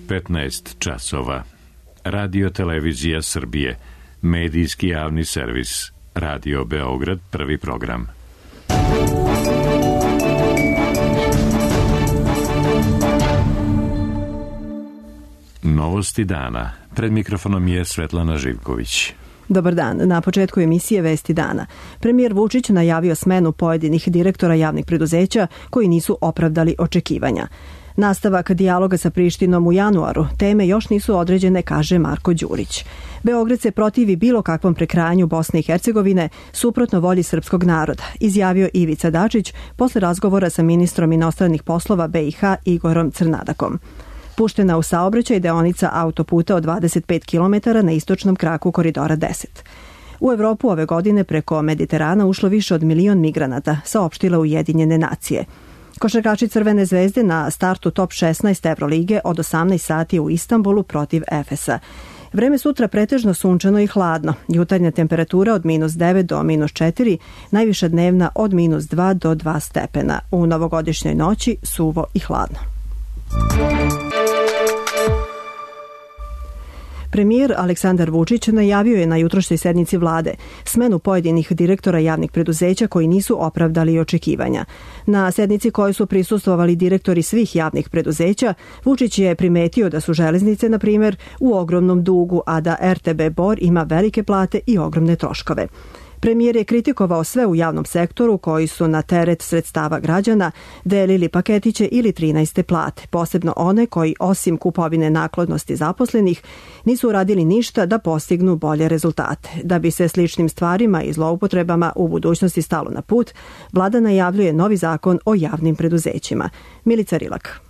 15 časova. Radio Televizija Srbije, medijski javni servis, Radio Beograd, prvi program. Novosti dana. Pred mikrofonom je Svetlana Živković. Dobar dan. Na početku emisije Vesti dana. Premijer Vučić najavio smenu pojedinih direktora javnih preduzeća koji nisu opravdali očekivanja. Nastavak dijaloga sa Prištinom u januaru. Teme još nisu određene, kaže Marko Đurić. Beograd se protivi bilo kakvom prekrajanju Bosne i Hercegovine suprotno volji srpskog naroda, izjavio Ivica Dačić posle razgovora sa ministrom inostranih poslova BiH Igorom Crnadakom. Puštena u saobraćaj deonica autoputa od 25 km na istočnom kraku Koridora 10. U Evropu ove godine preko Mediterana ušlo više od 1 milion migranata, saopštile Ujedinjene nacije. Košarkaši Crvene zvezde na startu top 16 Evrolige od 18 sati u Istanbulu protiv Efesa. Vreme sutra pretežno sunčano i hladno. Jutarnja temperatura od -9 do -4, najviša dnevna od -2 do 2 stepena. U novogodišnjoj noći suvo i hladno. Premijer Aleksandar Vučić najavio je na jutrošnjoj sednici vlade smenu pojedinih direktora javnih preduzeća koji nisu opravdali očekivanja. Na sednici kojoj su prisustvovali direktori svih javnih preduzeća, Vučić je primetio da su železnice, na primjer, u ogromnom dugu, a da RTB Bor ima velike plate i ogromne troškove. Premijer je kritikovao sve u javnom sektoru koji su na teret sredstava građana delili paketiće ili 13. plate, posebno one koji osim kupovine naklonosti zaposlenih nisu uradili ništa da postignu bolje rezultate. Da bi se sličnim stvarima i zloupotrebama u budućnosti stalo na put, vlada najavljuje novi zakon o javnim preduzećima. Milica Rilak.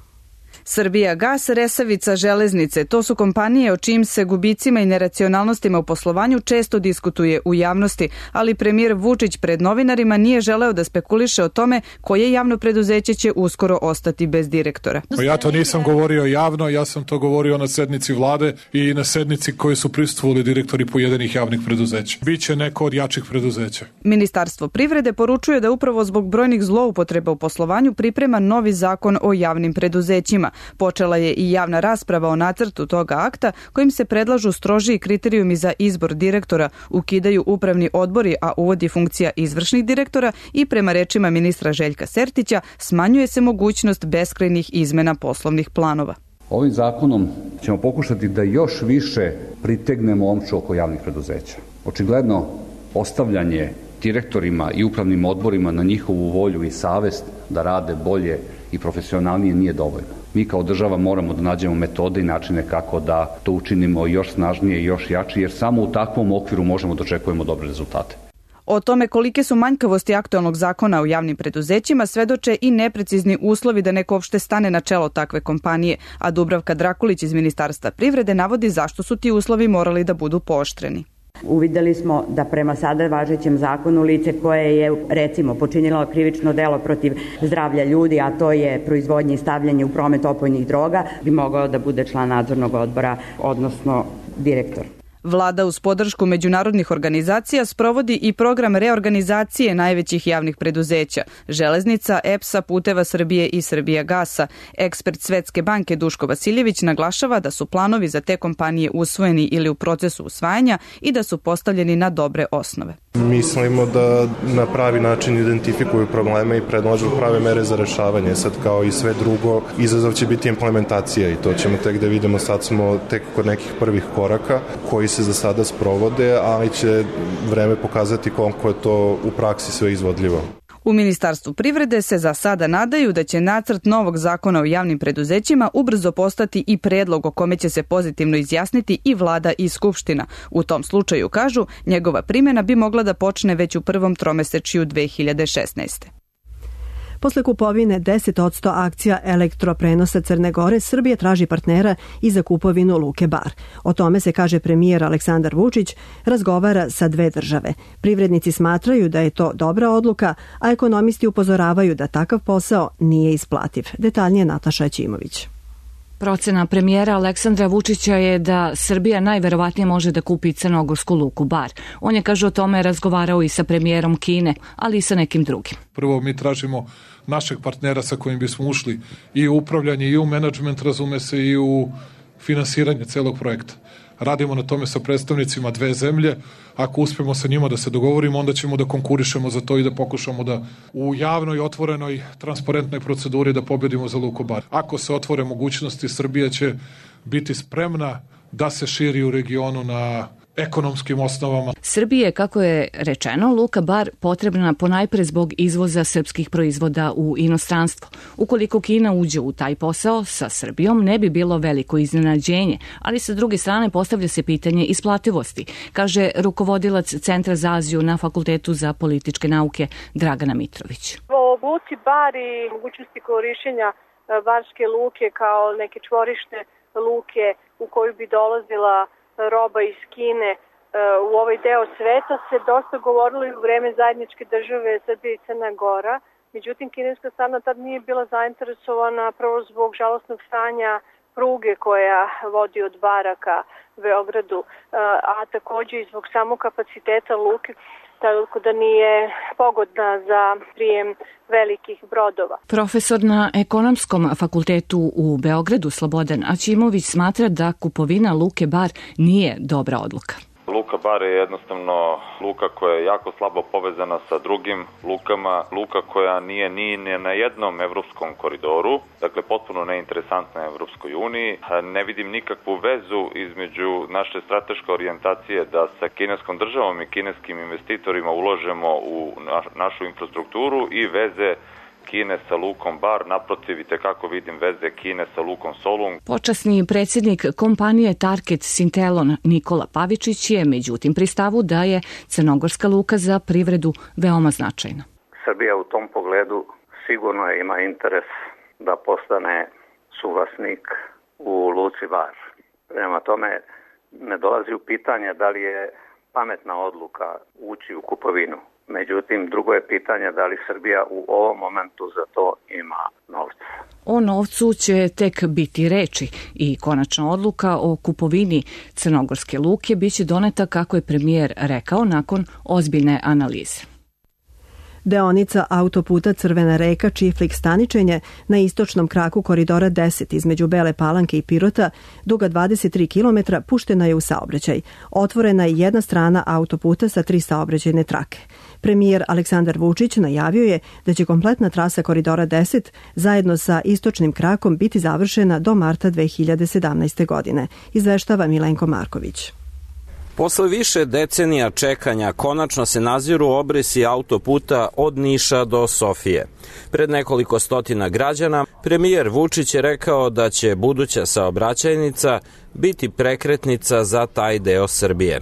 Srbijagas, Resavica, Železnice, to su kompanije o čijim se gubicima i neracionalnostima u poslovanju često diskutuje u javnosti, ali premijer Vučić pred novinarima nije želeo da spekuliše o tome koje javno preduzeće će uskoro ostati bez direktora. Ja to nisam govorio javno, ja sam to govorio na sednici vlade i na sednici koje su prisustvovali direktori pojedinih javnih preduzeća. Biće neko od jačih preduzeća. Ministarstvo privrede poručuje da upravo zbog brojnih zloupotreba u poslovanju priprema novi zakon o javnim preduzećima. Počela je i javna rasprava o nacrtu toga akta kojim se predlažu strožiji kriterijumi za izbor direktora, ukidaju upravni odbori, a uvodi funkcija izvršnih direktora i prema rečima ministra Željka Sertića smanjuje se mogućnost beskrajnih izmena poslovnih planova. Ovim zakonom ćemo pokušati da još više pritegnemo omču oko javnih preduzeća. Očigledno ostavljanje direktorima i upravnim odborima na njihovu volju i savest da rade bolje i profesionalnije nije dovoljno. Mi kao država moramo da nađemo metode i načine kako da to učinimo još snažnije i još jače, jer samo u takvom okviru možemo da očekujemo dobre rezultate. O tome kolike su manjkavosti aktualnog zakona o javnim preduzećima svedoče i neprecizni uslovi da neko uopšte stane na čelo takve kompanije, a Dubravka Drakulić iz Ministarstva privrede navodi zašto su ti uslovi morali da budu pooštreni. Uvideli smo da prema sada važećem zakonu lice koje je, recimo, počinilo krivično delo protiv zdravlja ljudi, a to je proizvodnje i stavljanje u promet opojnih droga, bi mogao da bude član nadzornog odbora, odnosno direktor. Vlada uz podršku međunarodnih organizacija sprovodi i program reorganizacije najvećih javnih preduzeća, Železnica, EPS-a, Puteva Srbije i Srbijagasa. Ekspert Svetske banke Duško Vasiljević naglašava da su planovi za te kompanije usvojeni ili u procesu usvajanja i da su postavljeni na dobre osnove. Mislimo da na pravi način identifikuju probleme i predlažu prave mere za rešavanje. Sad kao i sve drugo, izazov će biti implementacija i to ćemo tek da vidimo. Sad smo tek kod nekih prvih koraka koji se za sada sprovode, ali će vreme pokazati koliko je to u praksi sve izvodljivo. U Ministarstvu privrede se za sada nadaju da će nacrt novog zakona o javnim preduzećima ubrzo postati i predlog o kome će se pozitivno izjasniti i vlada i skupština. U tom slučaju, kažu, njegova primjena bi mogla da počne već u prvom tromesečju 2016. Posle kupovine 10% akcija elektroprenosa Crne Gore, Srbija traži partnera i za kupovinu Luke Bar. O tome se, kaže premijer Aleksandar Vučić, razgovara sa dve države. Privrednici smatraju da je to dobra odluka, a ekonomisti upozoravaju da takav posao nije isplativ. Detaljnije Nataša Ćimović. Procena premijera Aleksandra Vučića je da Srbija najverovatnije može da kupi crnogorsku Luku Bar. On je, kaže, o tome razgovarao i sa premijerom Kine, ali i sa nekim drugim. Prvo mi tražimo našeg partnera sa kojim bismo ušli i u upravljanje i u menadžment, razume se, i u finansiranje celog projekta. Radimo na tome sa predstavnicima dve zemlje. Ako uspemo sa njima da se dogovorimo, onda ćemo da konkurišemo za to i da pokušamo da u javnoj, otvorenoj, transparentnoj proceduri da pobedimo za Luku Bar. Ako se otvore mogućnosti, Srbija će biti spremna da se širi u regionu na ekonomskim osnovama. Srbije, kako je rečeno, Luka Bar potrebna ponajpre zbog izvoza srpskih proizvoda u inostranstvo. Ukoliko Kina uđe u taj posao sa Srbijom, ne bi bilo veliko iznenađenje, ali sa druge strane postavlja se pitanje isplativosti, kaže rukovodilac Centra za Aziju na Fakultetu za političke nauke Dragana Mitrović. O Luci Bar i mogućnosti korišćenja Barske luke kao neke čvorište luke u koju bi dolazila roba iz Kine u ovaj deo sveta se dosta govorilo i u vreme zajedničke države Srbije i Crna Gora. Međutim, kineska strana tad nije bila zainteresovana prvo zbog žalosnog stanja pruge koja vodi od Bara ka Beogradu, a takođe i zbog samog kapaciteta luke, tako da nije pogodna za prijem velikih brodova. Profesor na Ekonomskom fakultetu u Beogradu Slobodan Aćimović smatra da kupovina Luke Bar nije dobra odluka. Luka Bar je jednostavno luka koja je jako slabo povezana sa drugim lukama, luka koja nije ni na jednom evropskom koridoru, dakle potpuno neinteresantna Evropskoj uniji. Ne vidim nikakvu vezu između naše strateške orijentacije da sa kineskom državom i kineskim investitorima uložemo u našu infrastrukturu i veze Kine sa Lukom Bar, naprotiv i tekako vidim veze Kine sa Lukom Solun. Počasni predsjednik kompanije Target Sintelon Nikola Pavičić je međutim pri stavu da je crnogorska luka za privredu veoma značajna. Srbija u tom pogledu sigurno ima interes da postane suvlasnik u Luci Bar. Prema tome ne dolazi u pitanje da li je pametna odluka ući u kupovinu. Međutim, drugo je pitanje da li Srbija u ovom momentu za to ima novca. O novcu će tek biti reči i konačna odluka o kupovini crnogorske luke biće doneta, kako je premijer rekao, nakon ozbiljne analize. Deonica autoputa Crvena reka Čiflik Staničenje na istočnom kraku koridora 10 između Bele Palanke i Pirota, duga 23 km, puštena je u saobraćaj. Otvorena je jedna strana autoputa sa 3 saobraćajne trake. Premijer Aleksandar Vučić najavio je da će kompletna trasa koridora 10 zajedno sa istočnim krakom biti završena do marta 2017. godine, izveštava Milenko Marković. Posle više decenija čekanja konačno se naziru obrisi autoputa od Niša do Sofije. Pred nekoliko stotina građana premijer Vučić je rekao da će buduća saobraćajnica biti prekretnica za taj deo Srbije.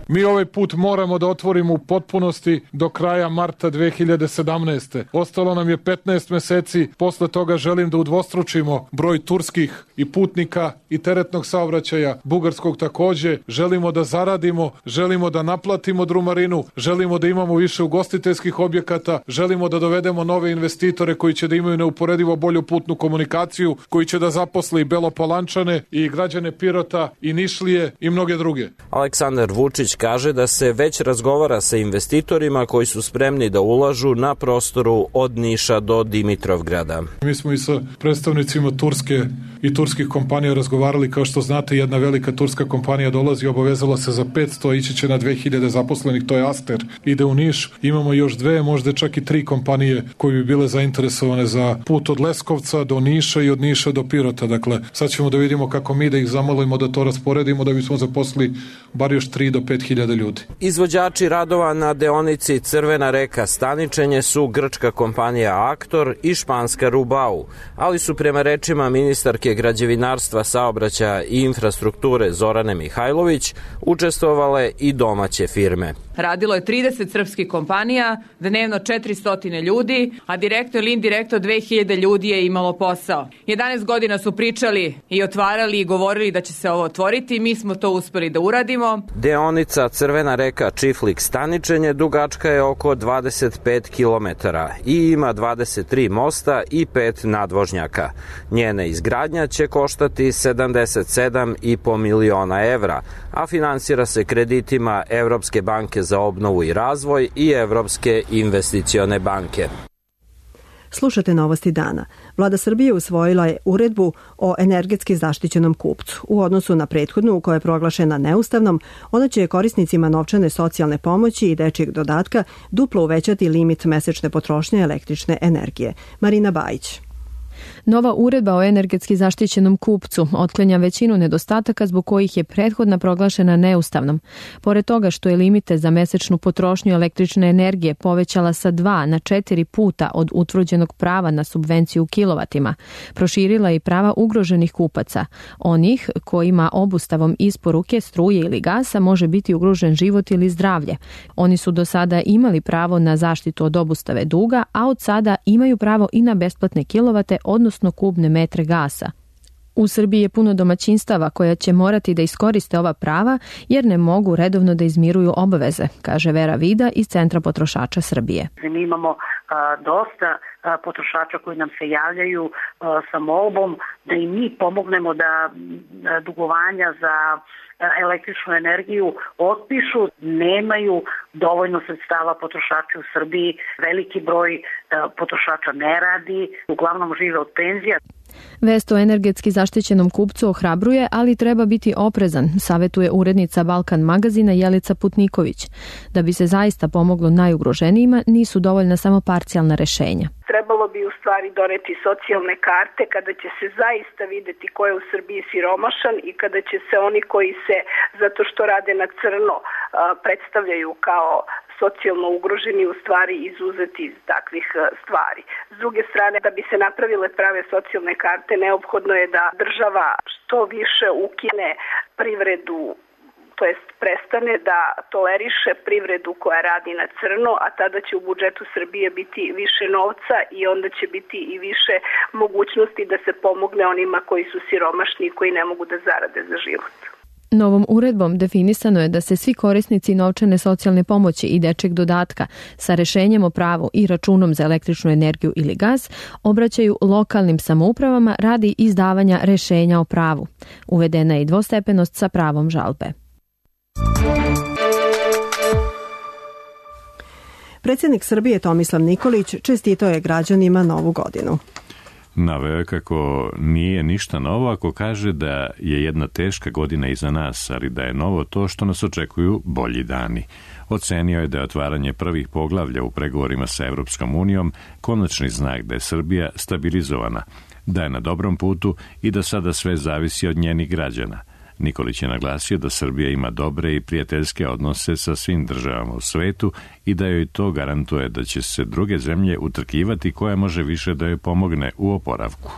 Mi ovaj put moramo da otvorimo u potpunosti do kraja marta 2017. Ostalo nam je 15 meseci, posle toga želim da udvostručimo broj turskih i putnika i teretnog saobraćaja, bugarskog takođe. Želimo da zaradimo, želimo da naplatimo drumarinu, želimo da imamo više ugostiteljskih objekata, želimo da dovedemo nove investitore koji će da imaju neuporedivo bolju putnu komunikaciju, koji će da zaposle i Belopalančane i građane Pirota i Nišlije i mnoge druge. Aleksandar Vučić kaže da se već razgovara sa investitorima koji su spremni da ulažu na prostoru od Niša do Dimitrovgrada. Mi smo i sa predstavnicima Turske i turskih kompanija razgovarali. Kao što znate, jedna velika turska kompanija dolazi i obavezala se za 500, ići će na 2000 zaposlenih, to je Aster. Ide u Niš, imamo još 2, možda čak i 3 kompanije koje bi bile zainteresovane za put od Leskovca do Niša i od Niša do Pirota. Dakle, sad ćemo da vidimo kako mi da ih zamolimo da to rasporedimo, da bismo zaposlili bar još 3 do 5.000 ljudi. Izvođači radova na deonici Crvena reka Staničenje su grčka kompanija Aktor i španska Rubau, ali su prema rečima ministarke građevinarstva, saobraćaja i infrastrukture Zorane Mihajlović učestvovale i domaće firme. Radilo je 30 srpskih kompanija, dnevno 400 ljudi, a direktno ili indirektno 2000 ljudi je imalo posao. 11 godina su pričali i otvarali i govorili da će se ovo otvoriti, mi smo to uspeli da uradimo. Deonica Crvena reka Čiflik Staničenje dugačka je oko 25 km i ima 23 mosta i 5 nadvožnjaka. Njena izgradnja će koštati 77,5 miliona evra, a finansira se kreditima Evropske banke za obnovu i razvoj i Evropske investicione banke. Slušate Novosti dana. Vlada Srbije usvojila je uredbu o energetski zaštićenom kupcu. U odnosu na prethodnu, koja je proglašena neustavnom, ona će korisnicima novčane socijalne pomoći i dečijeg dodatka duplo uvećati limit mesečne potrošnje električne energije. Marina Bajić. Nova uredba o energetski zaštićenom kupcu otklanja većinu nedostataka zbog kojih je prethodna proglašena neustavnom. Pored toga što je limite za mesečnu potrošnju električne energije povećala sa 2 na 4 puta od utvrđenog prava na subvenciju u kilovatima, proširila i prava ugroženih kupaca, onih kojima obustavom isporuke struje ili gasa može biti ugrožen život ili zdravlje. Oni su do sada imali pravo na zaštitu od obustave duga, a od sada imaju pravo i na besplatne kilovate, odnosno kubne metre gasa. U Srbiji je puno domaćinstava koja će morati da iskoriste ova prava jer ne mogu redovno da izmiruju obaveze, kaže Vera Vida iz Centra potrošača Srbije. Mi imamo dosta potrošača koji nam se javljaju sa molbom da i mi pomognemo da dugovanja za električnu energiju otpišu. Nemaju dovoljno sredstava potrošači u Srbiji, veliki broj potrošača ne radi, uglavnom žive od penzija. Vest o energetski zaštićenom kupcu ohrabruje, ali treba biti oprezan, savetuje urednica Balkan magazina Jelica Putniković. Da bi se zaista pomoglo najugroženijima, nisu dovoljna samo parcijalna rešenja. Trebalo bi u stvari doneti socijalne karte kada će se zaista videti ko je u Srbiji siromašan i kada će se oni koji se, zato što rade na crno, predstavljaju kao socijalno ugroženi, u stvari izuzeti iz takvih stvari. S druge strane, da bi se napravile prave socijalne karte, neophodno je da država što više ukine privredu, to jest prestane da toleriše privredu koja radi na crno, a tada će u budžetu Srbije biti više novca i onda će biti i više mogućnosti da se pomogne onima koji su siromašni i koji ne mogu da zarade za život. Novom uredbom definisano je da se svi korisnici novčane socijalne pomoći i dečjeg dodatka sa rešenjem o pravu i računom za električnu energiju ili gas obraćaju lokalnim samoupravama radi izdavanja rešenja o pravu. Uvedena je i dvostepenost sa pravom žalbe. Predsjednik Srbije Tomislav Nikolić čestitao je građanima Novu godinu. Naveo je kako nije ništa novo ako kaže da je jedna teška godina iza nas, ali da je novo to što nas očekuju bolji dani. Ocenio je da je otvaranje prvih poglavlja u pregovorima sa Evropskom unijom konačni znak da je Srbija stabilizovana, da je na dobrom putu i da sada sve zavisi od njenih građana. Nikolić je naglasio da Srbija ima dobre i prijateljske odnose sa svim državama u svetu i da joj to garantuje da će se druge zemlje utrkivati koja može više da joj pomogne u oporavku.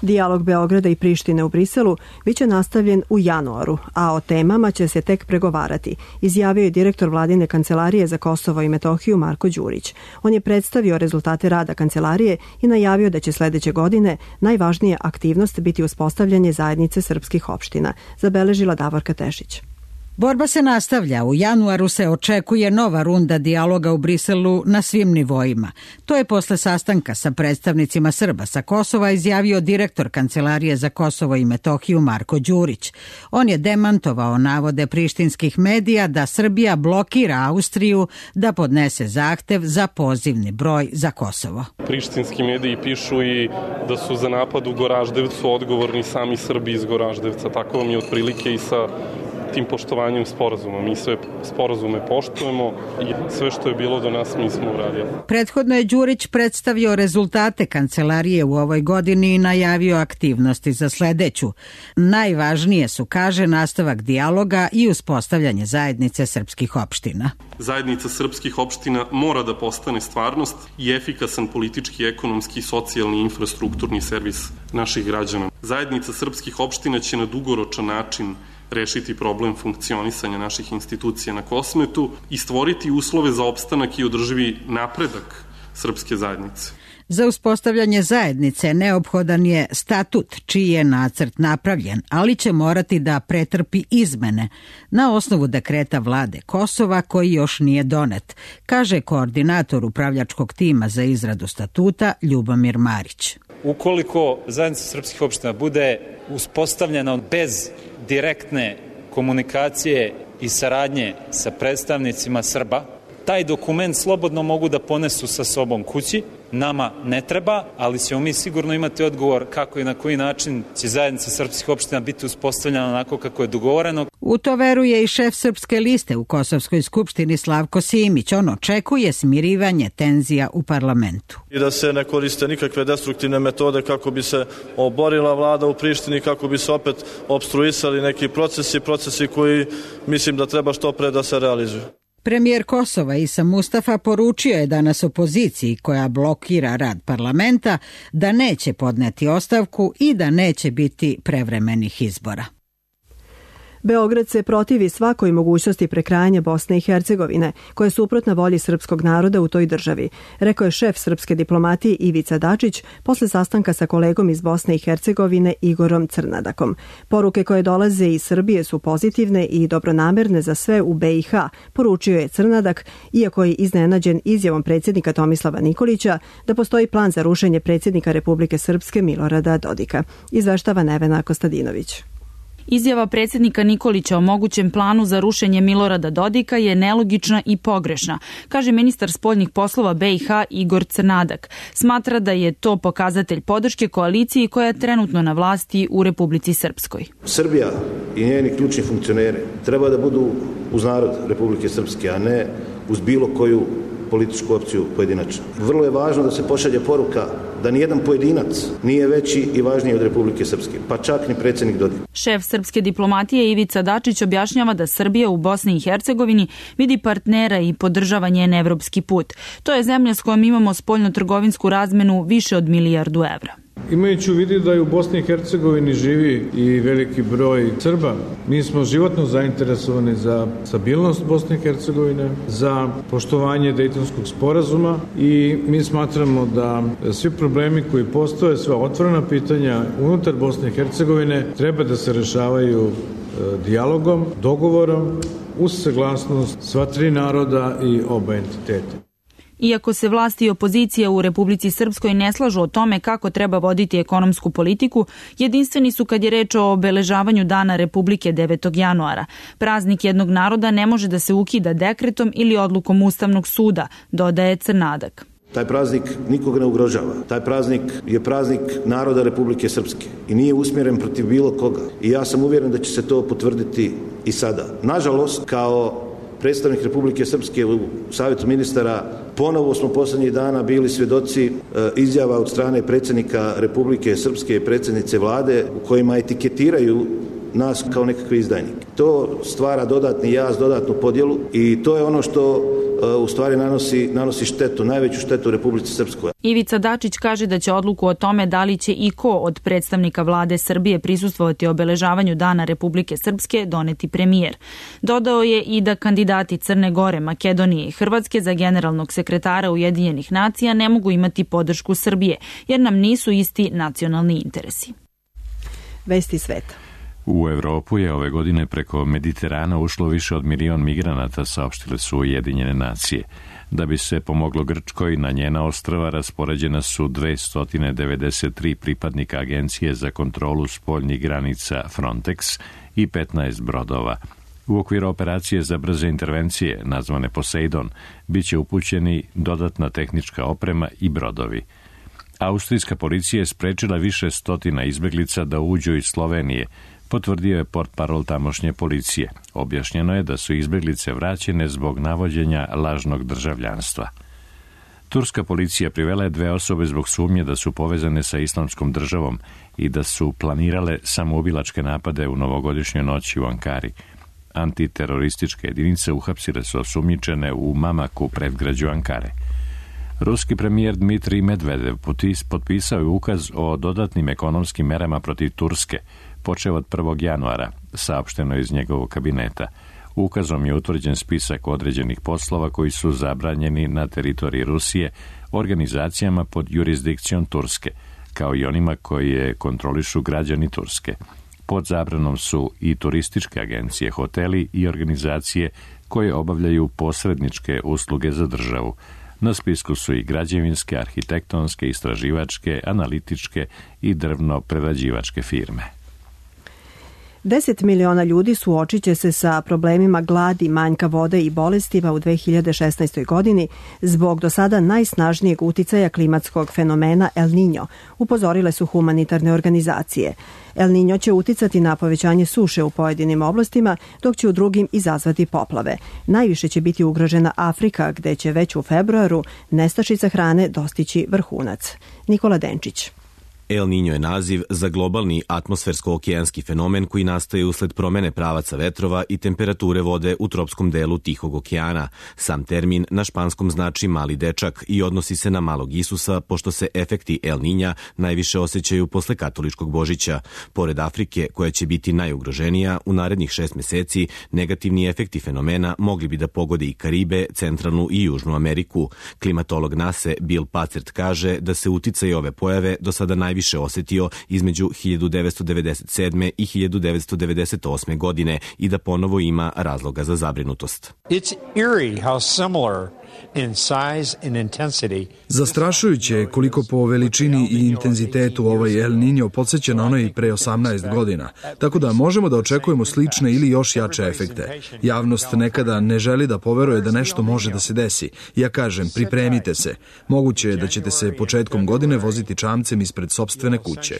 Dijalog Beograda i Prištine u Briselu biće nastavljen u januaru, a o temama će se tek pregovarati, izjavio je direktor Vladine kancelarije za Kosovo i Metohiju Marko Đurić. On je predstavio rezultate rada kancelarije i najavio da će sledeće godine najvažnija aktivnost biti uspostavljanje zajednice srpskih opština, zabeležila Davorka Tešić. Borba se nastavlja. U januaru se očekuje nova runda dijaloga u Briselu na svim nivoima. To je posle sastanka sa predstavnicima Srba sa Kosova izjavio direktor Kancelarije za Kosovo i Metohiju Marko Đurić. On je demantovao navode prištinskih medija da Srbija blokira Austriju da podnese zahtev za pozivni broj za Kosovo. Prištinski mediji pišu i da su za napad u Goraždevcu odgovorni sami Srbi iz Goraždevca. Tako vam je otprilike i sa tim poštovanjem sporazuma. Mi sve sporazume poštujemo i sve što je bilo do nas mi smo uradili. Prethodno je Đurić predstavio rezultate kancelarije u ovoj godini i najavio aktivnosti za sledeću. Najvažnije su, kaže, nastavak dijaloga i uspostavljanje zajednice srpskih opština. Zajednica srpskih opština mora da postane stvarnost i efikasan politički, ekonomski, socijalni i infrastrukturni servis naših građana. Zajednica srpskih opština će na dugoročan način rešiti problem funkcionisanja naših institucija na Kosmetu i stvoriti uslove za opstanak i održivi napredak srpske zajednice. Za uspostavljanje zajednice neophodan je statut čiji je nacrt napravljen, ali će morati da pretrpi izmene na osnovu dekreta vlade Kosova koji još nije donet, kaže koordinator upravljačkog tima za izradu statuta Ljubomir Marić. Ukoliko zajednica srpskih opština bude uspostavljena bez direktne komunikacije i saradnje sa predstavnicima Srba, taj dokument slobodno mogu da ponesu sa sobom kući nama ne treba, ali ćemo mi sigurno imati odgovor kako i na koji način će zajednica srpskih opština biti uspostavljena onako kako je dogovoreno. U to veruje i šef Srpske liste u Kosovskoj skupštini Slavko Simić. On očekuje smirivanje tenzija u parlamentu. I da se ne koriste nikakve destruktivne metode kako bi se oborila vlada u Prištini, kako bi se opet opstruisali neki procesi koji mislim da treba što pre da se realizuju. Premijer Kosova Isa Mustafa poručio je danas opoziciji koja blokira rad parlamenta da neće podneti ostavku i da neće biti prevremenih izbora. Beograd se protivi svakoj mogućnosti prekrajanja Bosne i Hercegovine, koja je suprotna volji srpskog naroda u toj državi, rekao je šef srpske diplomatije Ivica Dačić posle sastanka sa kolegom iz Bosne i Hercegovine Igorom Crnadakom. Poruke koje dolaze iz Srbije su pozitivne i dobronamerne za sve u BiH, poručio je Crnadak, iako je iznenađen izjavom predsjednika Tomislava Nikolića da postoji plan za rušenje predsjednika Republike Srpske Milorada Dodika. Izveštava Nevena Kostadinović. Izjava predsjednika Nikolića o mogućem planu za rušenje Milorada Dodika je nelogična i pogrešna, kaže ministar spoljnih poslova BiH Igor Crnadak. Smatra da je to pokazatelj podrške koaliciji koja je trenutno na vlasti u Republici Srpskoj. Srbija i njeni ključni funkcioneri treba da budu uz narod Republike Srpske, a ne uz bilo koju političku opciju pojedinačno. Vrlo je važno da se pošalje poruka da nijedan pojedinac nije veći i važniji od Republike Srpske, pa čak ni predsjednik Dodik. Šef srpske diplomatije Ivica Dačić objašnjava da Srbija u Bosni i Hercegovini vidi partnera i podržava njen evropski put. To je zemlja s kojom imamo spoljno-trgovinsku razmenu više od milijardu evra. Imajući u vidu da je u Bosni i Hercegovini živi i veliki broj Srba, mi smo životno zainteresovani za stabilnost Bosne i Hercegovine, za poštovanje Dejtonskog sporazuma i mi smatramo da svi problemi koji postoje, sva otvorena pitanja unutar Bosne i Hercegovine treba da se rešavaju dijalogom, dogovorom, uz saglasnost sva tri naroda i oba entiteta. Iako se vlasti i opozicija u Republici Srpskoj ne slažu o tome kako treba voditi ekonomsku politiku, jedinstveni su kad je reč o obeležavanju Dana Republike 9. januara. Praznik jednog naroda ne može da se ukida dekretom ili odlukom Ustavnog suda, dodaje Crnadak. Taj praznik nikoga ne ugrožava. Taj praznik je praznik naroda Republike Srpske i nije usmjeren protiv bilo koga. I ja sam uvjeren da će se to potvrditi i sada. Nažalost, kao predstavnik Republike Srpske u Savjetu ministara, ponovo smo posljednjih dana bili svjedoci izjava od strane predsjednika Republike Srpske i predsjednice vlade u kojima etiketiraju nas kao nekakve izdajnike. To stvara dodatni jaz, dodatnu podjelu i to je ono što u stvari nanosi štetu, najveću štetu Republici Srpskoj. Ivica Dačić kaže da će odluku o tome da li će i ko od predstavnika vlade Srbije prisustvovati obeležavanju Dana Republike Srpske doneti premijer. Dodao je i da kandidati Crne Gore, Makedonije i Hrvatske za generalnog sekretara Ujedinjenih nacija ne mogu imati podršku Srbije, jer nam nisu isti nacionalni interesi. Vesti sveta. U Evropu je ove godine preko Mediterana ušlo više od 1 milion migranata, saopštile su Ujedinjene nacije. Da bi se pomoglo Grčkoj, na njena ostrva raspoređena su 293 pripadnika Agencije za kontrolu spoljnih granica Frontex i 15 brodova. U okviru operacije za brze intervencije, nazvane Poseidon, bit će upućeni dodatna tehnička oprema i brodovi. Austrijska policija je sprečila više stotina izbeglica da uđu iz Slovenije, potvrdio je portparol tamošnje policije. Objašnjeno je da su izbeglice vraćene zbog navođenja lažnog državljanstva. Turska policija privela je 2 osobe zbog sumnje da su povezane sa Islamskom državom i da su planirale samoubilačke napade u novogodišnjoj noći u Ankari. Antiterorističke jedinice uhapsile su osumnjičene u Mamaku, predgrađu Ankare. Ruski premijer Dmitrij Medvedev potpisao je ukaz o dodatnim ekonomskim merama protiv Turske, počeo od 1. januara, saopšteno iz njegovog kabineta. Ukazom je utvrđen spisak određenih poslova koji su zabranjeni na teritoriji Rusije organizacijama pod jurisdikcijom Turske, kao i onima koje kontrolišu građani Turske. Pod zabranom su i turističke agencije, hoteli i organizacije koje obavljaju posredničke usluge za državu. Na spisku su i građevinske, arhitektonske, istraživačke, analitičke i drvno-prerađivačke firme. 10 miliona ljudi suočit će se sa problemima gladi, manjka vode i bolestima u 2016. godini zbog do sada najsnažnijeg uticaja klimatskog fenomena El Niño, upozorile su humanitarne organizacije. El Niño će uticati na povećanje suše u pojedinim oblastima, dok će u drugim izazvati poplave. Najviše će biti ugrožena Afrika, gde će već u februaru nestašica hrane dostići vrhunac. Nikola Denčić. El Niño je naziv za globalni atmosfersko-okeanski fenomen koji nastaje usled promene pravaca vetrova i temperature vode u tropskom delu Tihog okeana. Sam termin na španskom znači mali dečak i odnosi se na malog Isusa, pošto se efekti El Niña najviše osjećaju posle katoličkog Božića. Pored Afrike, koja će biti najugroženija, u narednih 6 meseci negativni efekti fenomena mogli bi da pogode i Karibe, Centralnu i Južnu Ameriku. Klimatolog NASA Bill Pacert kaže da se uticaj ove pojave do sada najviše osetio između 1997. i 1998. godine i da ponovo ima razloga za zabrinutost. It's eerie how similar in size and intensity. Zastrašujuće je koliko po veličini i intenzitetu ovaj El Niño podsjeća na onaj pre 18 godina, tako da možemo da očekujemo slične ili još jače efekte. Javnost nekada ne želi da poveruje da nešto može da se desi. Ja kažem, pripremite se. Moguće je da ćete se početkom godine voziti čamcem ispred sopstvene kuće.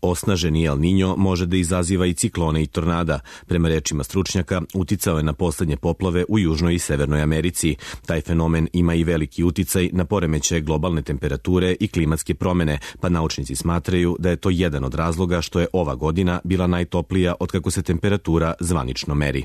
Osnaženi El Niño može da izaziva i ciklone i tornada. Prema rečima stručnjaka, uticao je na poslednje poplave u Južnoj i Severnoj Americi. Taj fenomen ima i veliki uticaj na poremećaje globalne temperature i klimatske promene, pa naučnici smatraju da je to jedan od razloga što je ova godina bila najtoplija otkako se temperatura zvanično meri.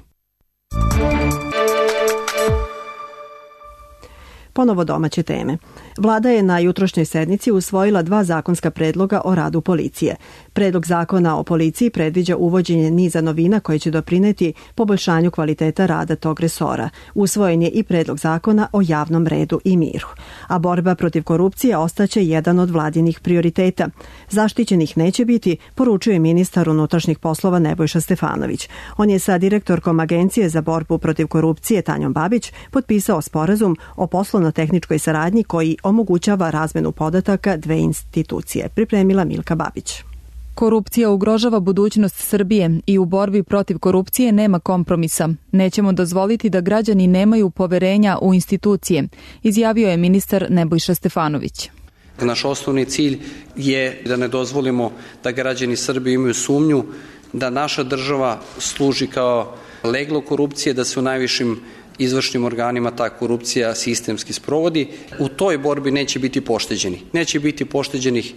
Ponovo domaće teme. Vlada je na jutrošnjoj sednici usvojila 2 zakonska predloga o radu policije. Predlog zakona o policiji predviđa uvođenje niza novina koje će doprineti poboljšanju kvaliteta rada tog resora. Usvojen je i predlog zakona o javnom redu i miru. A borba protiv korupcije ostaće jedan od vladinih prioriteta. Zaštićenih neće biti, poručuje ministar unutrašnjih poslova Nebojša Stefanović. On je sa direktorkom Agencije za borbu protiv korupcije Tanjom Babić potpisao sporazum o poslovno-tehničkoj saradnji koji omogućava razmenu podataka dve institucije. Pripremila Milka Babić. Korupcija ugrožava budućnost Srbije i u borbi protiv korupcije nema kompromisa. Nećemo dozvoliti da građani nemaju poverenja u institucije, izjavio je ministar Nebojša Stefanović. Naš osnovni cilj je da ne dozvolimo da građani Srbije imaju sumnju da naša država služi kao leglo korupcije, da se u najvišim izvršnim organima ta korupcija sistemski sprovodi. U toj borbi neće biti pošteđeni. Neće biti pošteđenih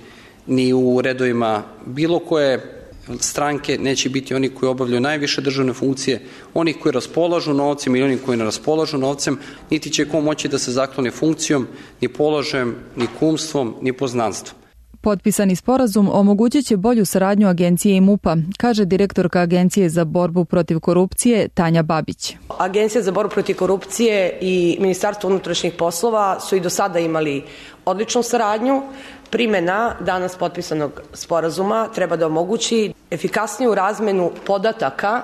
ni u redovima bilo koje stranke, neće biti oni koji obavljaju najviše državne funkcije, oni koji raspolažu novcem ili oni koji ne raspolažu novcem, niti će ko moći da se zakloni funkcijom, ni položajem, ni kumstvom, ni poznanstvom. Potpisani sporazum omogućit će bolju saradnju agencije i MUP-a, kaže direktorka Agencije za borbu protiv korupcije Tanja Babić. Agencija za borbu protiv korupcije i Ministarstvo unutrašnjih poslova su i do sada imali odličnu saradnju. Primjena danas potpisanog sporazuma treba da omogući efikasniju razmenu podataka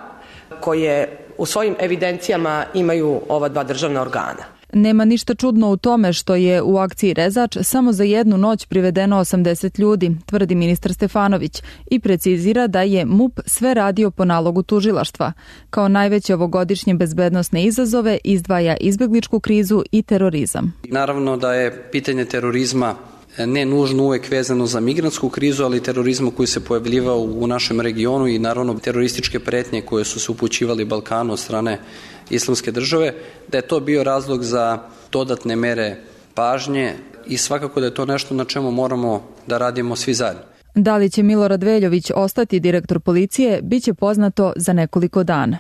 koje u svojim evidencijama imaju ova 2 državna organa. Nema ništa čudno u tome što je u akciji Rezač samo za jednu noć privedeno 80 ljudi, tvrdi ministar Stefanović i precizira da je MUP sve radio po nalogu tužilaštva. Kao najveće ovogodišnje bezbednosne izazove izdvaja izbegličku krizu i terorizam. Naravno da je pitanje terorizma ne nužno uvek vezano za migrantsku krizu, ali terorizmu koji se pojavljivao u našem regionu i naravno terorističke pretnje koje su se upućivali Balkanu od strane Islamske države, da je to bio razlog za dodatne mere pažnje i svakako da je to nešto na čemu moramo da radimo svi zajedno. Da li će Milorad Veljović ostati direktor policije, bit će poznato za nekoliko dana.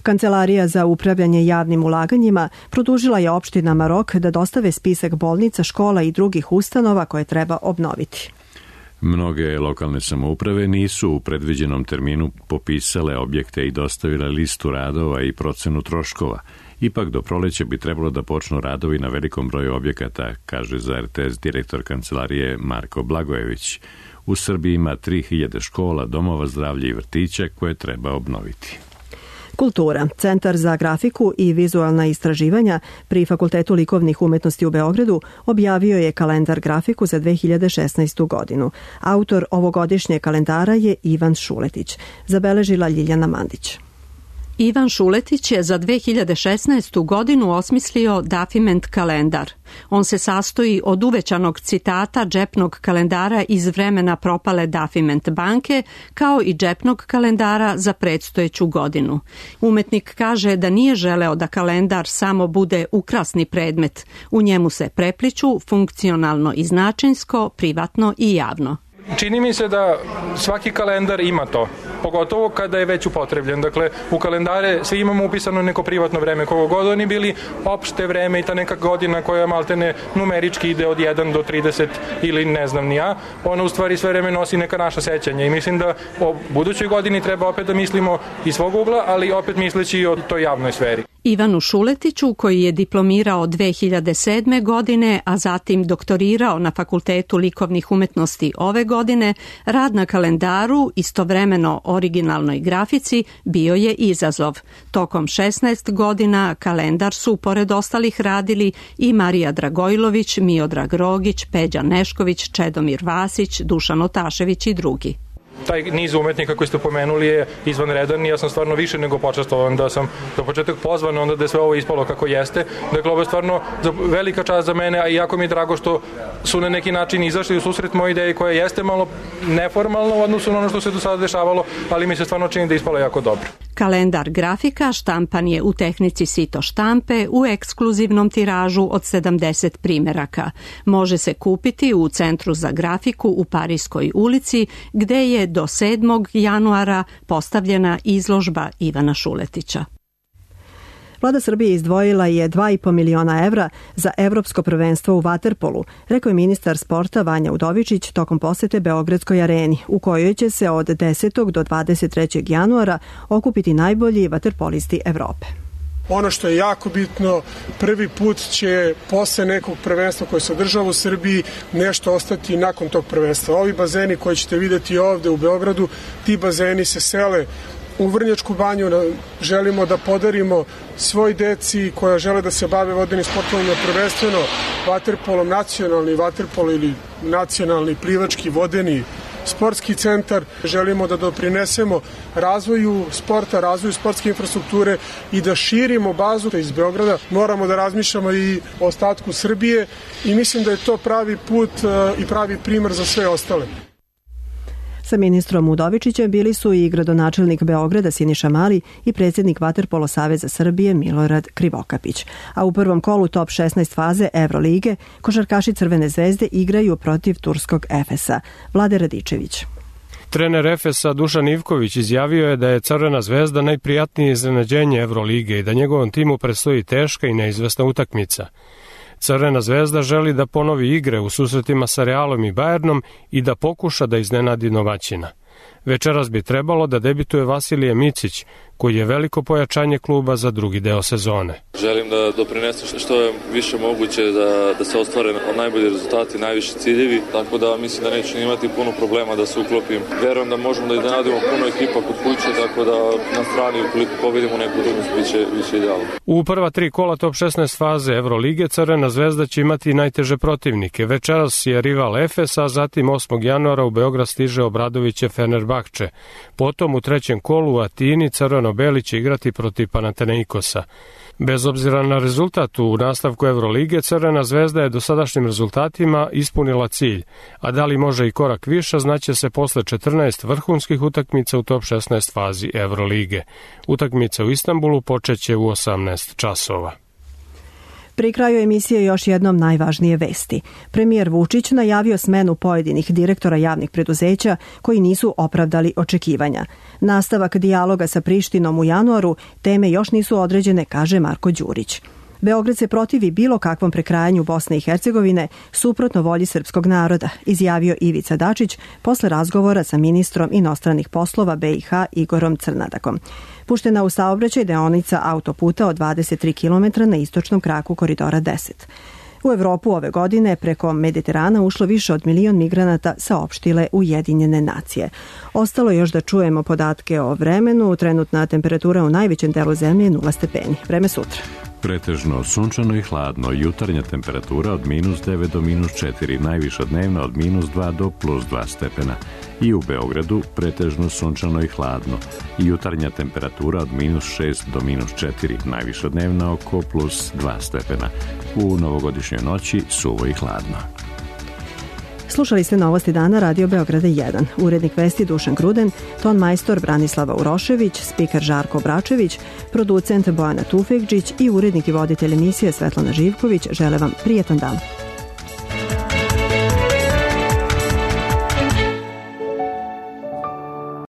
Kancelarija za upravljanje javnim ulaganjima produžila je opštinama rok da dostave spisak bolnica, škola i drugih ustanova koje treba obnoviti. Mnoge lokalne samouprave nisu u predviđenom terminu popisale objekte i dostavile listu radova i procenu troškova. Ipak do proleća bi trebalo da počnu radovi na velikom broju objekata, kaže za RTS direktor kancelarije Marko Blagojević. U Srbiji ima 3000 škola, domova zdravlja i vrtića koje treba obnoviti. Kultura. Centar za grafiku i vizualna istraživanja pri Fakultetu likovnih umetnosti u Beogradu objavio je kalendar grafiku za 2016. godinu. Autor ovogodišnje kalendara je Ivan Šuletić. Zabeležila Ljiljana Mandić. Ivan Šuletić je za 2016. godinu osmislio Dafiment kalendar. On se sastoji od uvećanog citata džepnog kalendara iz vremena propale Dafiment banke, kao i džepnog kalendara za predstojeću godinu. Umetnik kaže da nije želeo da kalendar samo bude ukrasni predmet. U njemu se prepliću funkcionalno i značinsko, privatno i javno. Čini mi se da svaki kalendar ima to, pogotovo kada je već upotrebljen. Dakle, u kalendare svi imamo upisano neko privatno vreme, kogo god oni bili, opšte vreme i ta neka godina koja maltene numerički ide od 1 do 30 ili ne znam ni ja, ona u stvari sve vreme nosi neka naša sećanja i mislim da o budućoj godini treba opet da mislimo iz svog ugla, ali opet misleći i o toj javnoj sferi. Ivanu Šuletiću, koji je diplomirao 2007. godine, a zatim doktorirao na Fakultetu likovnih umetnosti ove godine, rad na kalendaru, istovremeno originalnoj grafici, bio je izazov. Tokom 16 godina kalendar su, pored ostalih, radili i Marija Dragojlović, Miodrag Rogić, Peđa Nešković, Čedomir Vasić, Dušan Otašević i drugi. Taj niz umetnika koji ste pomenuli je izvanredan i ja sam stvarno više nego počastovan da sam do početak pozvan, onda da je sve ovo ispalo kako jeste. Dakle, ovo je stvarno velika čast za mene, a i jako mi je drago što su na neki način izašli u susret moje ideje koja jeste malo neformalna u odnosu na ono što se do sada dešavalo, ali mi se stvarno čini da je ispalo jako dobro. Kalendar grafika štampan je u tehnici sito štampe u ekskluzivnom tiražu od 70 primeraka. Može se kupiti u Centru za grafiku u Parijskoj ulici, gde je do 7. januara postavljena izložba Ivana Šuletića. Vlada Srbije izdvojila je 2,5 miliona evra za evropsko prvenstvo u vaterpolu, rekao je ministar sporta Vanja Udovičić tokom posete Beogradskoj areni, u kojoj će se od 10. do 23. januara okupiti najbolji vaterpolisti Evrope. Ono što je jako bitno, prvi put će posle nekog prvenstva koje se održava u Srbiji nešto ostati nakon tog prvenstva. Ovi bazeni koji ćete vidjeti ovde u Beogradu, ti bazeni se sele u Vrnjačku banju. Želimo da podarimo svoj deci koja žele da se bave vodenim sportovima, prvenstveno vaterpolom, nacionalni vaterpol ili nacionalni plivački vodeni sportski centar. Želimo da doprinesemo razvoju sporta, razvoju sportske infrastrukture i da širimo bazu iz Beograda. Moramo da razmišljamo i o ostatku Srbije i mislim da je to pravi put i pravi primer za sve ostale. Sa ministrom Udovičićem bili su i gradonačelnik Beograda Siniša Mali i predsjednik Vaterpolo Saveza Srbije Milorad Krivokapić. A u prvom kolu top 16 faze Evrolige košarkaši Crvene zvezde igraju protiv turskog Efesa. Vlade Radičević. Trener Efesa Dušan Ivković izjavio je da je Crvena zvezda najprijatnije iznenađenje Evrolige i da njegovom timu predstoji teška i neizvesna utakmica. Crvena zvezda želi da ponovi igre u susretima sa Realom i Bayernom i da pokuša da iznenadi domaćina. Večeras bi trebalo da debituje Vasilije Micić, koji je veliko pojačanje kluba za drugi deo sezone. Želim da doprinesem što je više moguće da se ostvare najbolji rezultati, najviši ciljevi, tako da mislim da neću imati puno problema da se uklopim. Verujem da možemo da iznenadimo puno ekipa kod kuće, tako da na strani ukoliko pobedimo neku utakmicu biće idealno. U prva 3 kola top 16 faze Evrolige Crvena zvezda će imati najteže protivnike. Večeras je rival Efes, a zatim 8. januara u Beograd stiže Obradoviće Fenerbahče. Potom u trećem kolu u Atini Crveno-beli će igrati protiv Panathinaikosa. Bez obzira na rezultat u nastavku Evrolige, Crvena zvezda je dosadašnjim rezultatima ispunila cilj, a da li može i korak više znaće se posle 14 vrhunskih utakmica u top 16 fazi Evrolige. Utakmica u Istanbulu počeće u 18 časova. Pri kraju emisije još jednom najvažnije vesti. Premijer Vučić najavio smenu pojedinih direktora javnih preduzeća koji nisu opravdali očekivanja. Nastavak dijaloga sa Prištinom u januaru, teme još nisu određene, kaže Marko Đurić. Beograd se protivi bilo kakvom prekrajanju Bosne i Hercegovine suprotno volji srpskog naroda, izjavio Ivica Dačić posle razgovora sa ministrom inostranih poslova BiH Igorom Crnadakom. Puštena u saobraćaj deonica autoputa od 23 km na istočnom kraku koridora 10. U Evropu ove godine preko Mediterana ušlo više od 1 milion migranata, saopštile Ujedinjene nacije. Ostalo još da čujemo podatke o vremenu. Trenutna temperatura u najvećem delu zemlje je 0 stepeni. Vreme sutra. Pretežno sunčano i hladno, jutarnja temperatura od -9 do -4, najviša dnevna od -2 do +2 stepena. I u Beogradu pretežno sunčano i hladno, jutarnja temperatura od -6 do -4, najviša dnevna oko +2 stepena. U novogodišnjoj noći suvo i hladno. Slušali ste Novosti dana Radio Beograda 1. Urednik vesti Dušan Gruden, ton majstor Branislava Urošević, spiker Žarko Obračević, producent Bojana Tufekđić i urednik i voditelj emisije Svetlana Živković žele vam prijetan dan.